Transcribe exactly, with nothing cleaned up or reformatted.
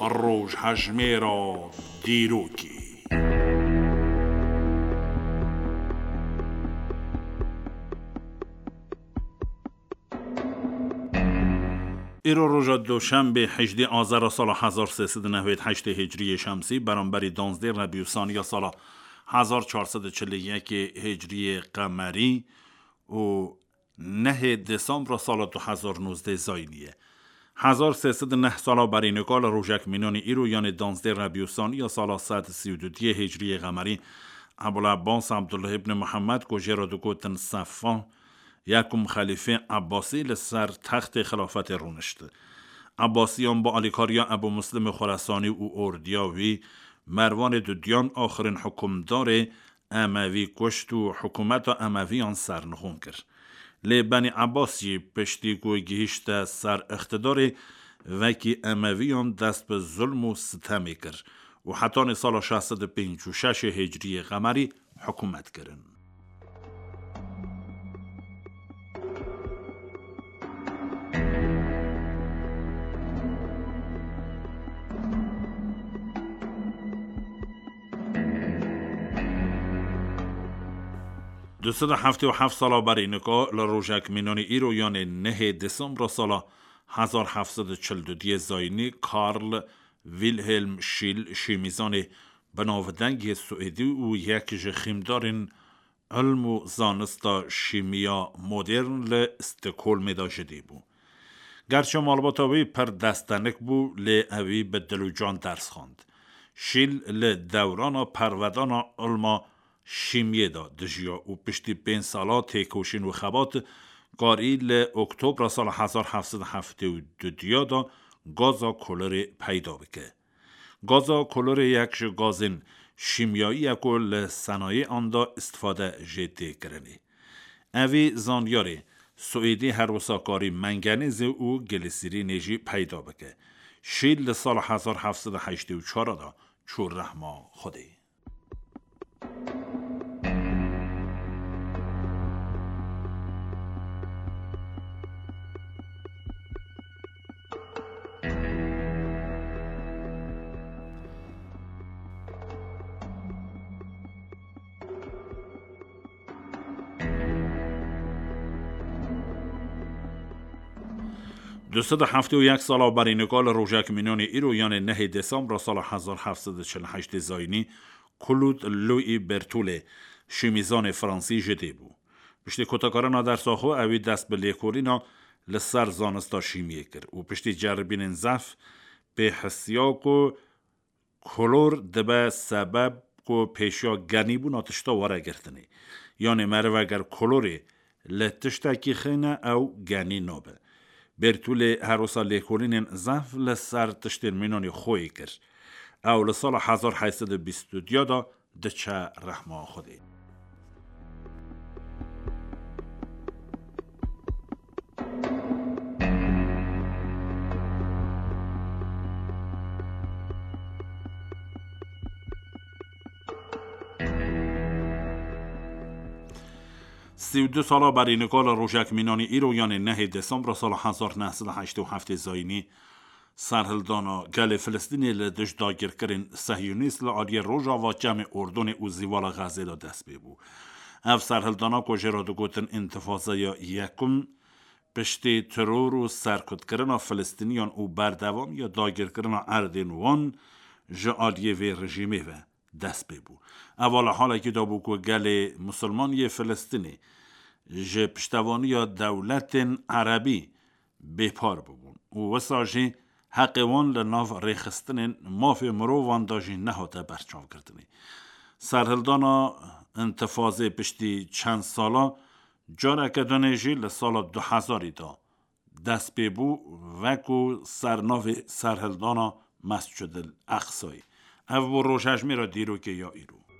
Rojhejmêra dîrokê. Îro roja Doşembê, hejdê Azera sala hezar sê sed û newêd heştê Hicriyê Şemsî, beramberî danzdê Rebî û Saniya sala hezar çar sed û çil û yekê Hicriyê Qemerî û nehê Desembra sala du hezar nozdeh Zayînî ye. Hezar sê sed û neh sala berî nika li rojek mînanî îro, yanê danzdê Rebî û Saniya sala sed û sî û duyê Hicriyê Qemerî, Ebul Ebbas Ebdullah ibn Muhammed, ku jê re digotin Sefan, yekum xelîfê Ebbasî, li ser textê xilafetê rûnişt. Ebbasiyan bi alîkariya Ebû Muslimê Xurasanî û ordiya wî, Merwanê Dudiyan, axirîn hukimdarê Emevî kuşt û hikûmeta Emeviyan sernixûn kir. Lê Benî Ebbas jî piştî ku gihîşte ser îqtidarê, vekî Emeviyan dest bi zulm û sitemê kir û hetanî sala şeş sed û pêncî û şeş Hicriyê Qemerî hikûmet kirin. Du sed û heftê û heft sala berî nika li rojek mînanî îro, yanê nehê Desembra sala hezar heft sed û çil û duyê Zayînî, Karl Wilhelm Schil, şîmîzanê binavdengê Swêdî û yek ji xîmdarên ilm û zanista şîmiya modern, li Stockholmê de ji dê bû. Gerçi malbata wî pir destenik bû, lê ewî bi dil û can ders xwend. Schil li dewrana pervedana ilma şîmiyê de dijiya û piştî pênc sala têkoşîn û xebat, karî li Oktobra sala hezar heft sed û heftê û du de gaza kolorê peyda bike. Gaza kolorê yek ji gazên şîmyayî ye ku li senayê an de îstifade jê tê kirinê. Evî zanyarê Swêdî her wisa karî mengenêzê û glisîrînê jî peyda bike. Schil li sala hezar heft sed û heştê û çar de çû rehma Xwedê. Du sed û heftê û yek sala berî nika li rojek mînanê îro, yanê nehê Desembra sala hezar heft sed û çil û heştê Zayînî, Claude Louis Bertholle, şîmîzanê fransî, ji dê bû. Piştî kotekarina dersa xwe, ewî dest bi lêkolîna li ser zanista şîmiyê kir û piştî ceribînên zehf, pê hisiya ku kolor dibe sebeb ku pêşiya genîbûna tişta were girtinê. Yanê meriv eger kolorê li tiştekî xîne, ew genî nabe. Bertholle her wisa lêkolînên zehf li ser tiştên mînanê xwe yê kir. Ew li sala hezar heyt sed û bîst û du de diçe rehma Xwedê. Sî û du sala berî nika li rojek mînanî îro, yanê nehê Desembra sala hezar neh sed û heştê û heftê Zayînî, serhildana gelê Filistînê li dij dagirkirên sehyonîst li aliyê rojava Çemê Urdunê û Zîwala Xezê de dest pê bû. Ev serhildana ku jê re digotin întifazeya yekum, piştî teror û serkutkirina Filistîniyan û berdewamiya dagirkirina erdên wan ji aliyê vê rejîmê ve dest pê bû. Eva li halekî de bû ku gelê misilman yê Filistînê ji piştevaniya dewletên erebî bêpar bûbûn û wisa jî heqê wan li nav rêxistinên mafê mirovan de jî nehate berçavkirinê. Serhildana întifazê piştî çend sala careke dinê jî li sala du hezarî de dest pê bû, veku sernavê serhildana Mescid el Eqsayê. Ev bû rojhejmêra dîrokê ya îro.